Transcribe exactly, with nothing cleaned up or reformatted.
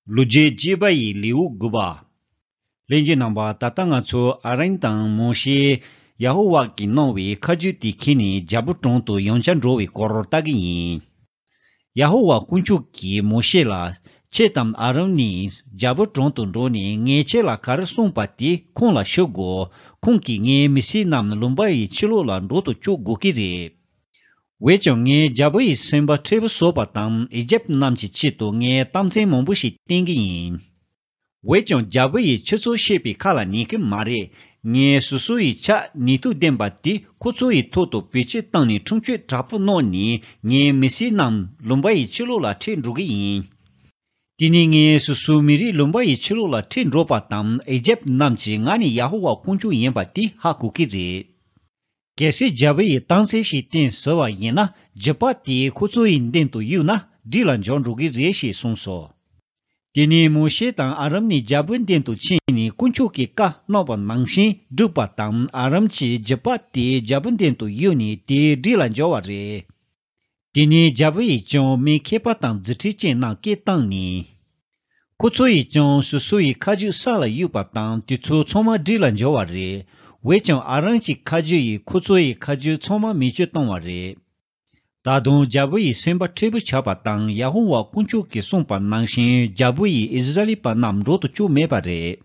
ལོ་རྒྱུས་རྒྱས་པ་ཡི་ལེའུ་དགུ་པ། ལྷན་རྒྱས་རྣམ་པ། ད་ལྟ་ང་ཚོ་ཨ་རོན་དང་མོ་ཤེས་ཡ་ཧོ་ཝཱ་གིས་གནང་བའི་ཁ་རྒྱུན་དེ་འཁྱེར་ནས་རྒྱལ་པོ་དྲུང་དུ་ཡང་བསྐྱར་འགྲོ་བའི་སྐོར་ལྟ་གི་ཡིན། ཡ་ཧོ་ཝཱ་དཀོན་མཆོག་གིས་མོ་ཤེ་ལ། ཁྱེད་དང་ཨ་རོན་གཉིས་རྒྱལ་པོ་དྲུང་དུ་འགྲོ་ནས་ངས་ཁྱེད་ལ་ག་རེ་གསུངས་པ་དེ་ཁོང་ལ་ཞུ་དགོས། ཁོང་གིས་ངའི་མི་སེར་རྣམས་ལུང་པ་ཡི་ཕྱི་ལོགས་ལ་འགྲོ་དུ་བཅུག་དགོས་ཀྱི་རེད། འོན་ཀྱང་ངས་རྒྱལ་པོ་ཡི་སེམས་པ་མཁྲེགས་པོ་བཟོ་བ་དང་ཨི་ཇེབ་རྣམས་ཀྱི་ཆེད་དུ་ངས་རྟགས་མཚན་མང་པོ་ཞིག་བསྟན་གྱི་ཡིན། འོན་ཀྱང་རྒྱལ་པོ་ཡིས་ཁྱོད་ཚོ་བཤད་པའི་ཁ་ལ་ཉན་གྱི་མ་རེད། ངས་སོ་སོ་ཡི་ཕྱག་ནུས་མཐུ་ལྡན་པ་དེ་ཁོ་ཚོ་ཡི་ཐོག་ཏུ་བེད་སྤྱོད་བཏང་ནས་ཁྲིམས་གཅོད་དྲག་པོ་གནང་ནས་ངའི་མི་སེར་རྣམས་ལུང་པ་ཡི་ཕྱི་ལོགས་ལ་ཁྲིད་འགྲོ་གི་ཡིན། དེ་ནས་ངས་སོ་སོའི་མི་རིགས་ལུང་པ་ཡི་ཕྱི་ལོགས་ལ་ཁྲིད་འགྲོ་བ་དང་ཨི་ཇེབ་རྣམས་ཀྱིས་ང་ནི་ཡ་ཧོ་ཝཱ་དཀོན་མཆོག་ཡིན་པ་དེ་ཧ་གོ་གི་རེད། གལ་སྲིད་རྒྱལ་པོ་ཡིས་རྟགས་མཚན་ཞིག་བསྟན་ཟེར་བ་ཡིན་ན་རྒྱུད་པ་དེ་ཁོ་ཚོ་ཡི་མདུན་དུ་གཡུགས་ན་སྦྲུལ་ལ་འགྱུར་འགྲོ་གི་རེད་ཞེས་གསུངས་སོ། དེ་ནས་མོ་ཤེ་དང་ཨ་རོན་ནི་རྒྱལ་པོའི་མདུན་དུ་ཕྱིན་ནས་དཀོན་མཆོག་གིས་བཀའ་གནང་བ་ནང་བཞིན་བསྒྲུབས་པ་དང་ཨ་རོན་གྱིས་རྒྱུད་པ་དེ་རྒྱལ་པོའི་མདུན་དུ་གཡུགས་ནས་དེ་སྦྲུལ་ལ་འགྱུར་བ་རེད། དེ་ནས་རྒྱལ་པོ་ཡིས་ཀྱང་མི་མཁས་པ་དང་རྫུ་འཕྲུལ་ཅན་རྣམས་སྐད་བཏང་ནས། ཁོ་ཚོ་ཡིས་ཀྱང་སོ་སོ་ཡི་ཁ་རྒྱུན་ས་ལ་གཡུགས་པ་དང་དེ་ཚོ་ཚང་མ་སྦྲུལ་ལ་འགྱུར་བ་རེད། འོན་ཀྱང་ཨ་རོན་གྱི་ཁ་རྒྱུན་ཡིས་ཁོ་ཚོ་ཡི་ཁ་རྒྱུན་ཚང་མ་མེ་མཆོད་བཏང་བ་རེད། ད་དུང་རྒྱལ་པོ་ཡི་སེམས་པ་མཁྲེགས་པོ་ཆགས་པ་དང་ཡ་ཧོ་ཝཱ་དཀོན་མཆོག་གིས་གསུངས་པ་ནང་བཞིན་རྒྱལ་པོ་ཡིས་ཨིསི་ར་ཨེལ་པ་རྣམས་འགྲོ་དུ་བཅུག་མེད་པ་རེད།